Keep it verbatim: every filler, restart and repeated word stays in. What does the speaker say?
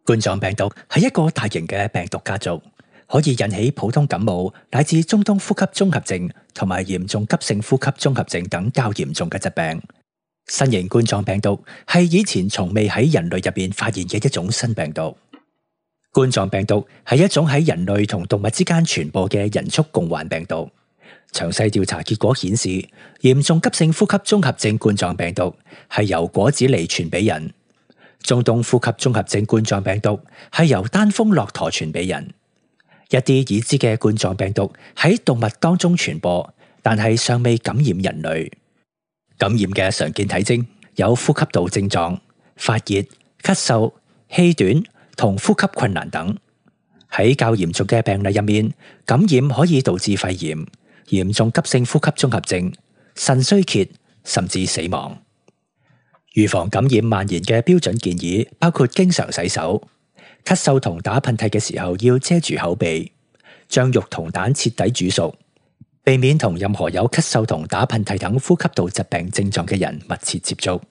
冠狀病毒係一個大型嘅病毒家族，可以引起普通感冒乃至中東呼吸綜合症同埋嚴重急性呼吸綜合症等較嚴重嘅疾病。新型冠狀病毒係以前從未喺人類入邊發現嘅一種新病毒。冠狀病毒係一種喺人類同動物之間傳播嘅人畜共患病毒。詳細調查結果顯示，嚴重急性呼吸綜合症冠狀病毒係由果子狸傳俾人。中東呼吸綜合症冠狀病毒係由單峰駱駝傳俾人。一啲已知嘅冠狀病毒喺動物當中傳播，但係尚未感染人類。感染嘅常見體徵有呼吸道症狀、發熱、咳嗽、氣短同呼吸困難等。喺較嚴重嘅病例入面，感染可以導致肺炎、嚴重急性呼吸綜合症、腎衰竭，甚至死亡。預防感染蔓延嘅標準建議包括經常洗手、咳嗽同打噴嚏嘅時候要遮住口鼻，將肉同蛋徹底煮熟，避免同任何有咳嗽同打噴嚏等呼吸道疾病症狀嘅人密切接觸。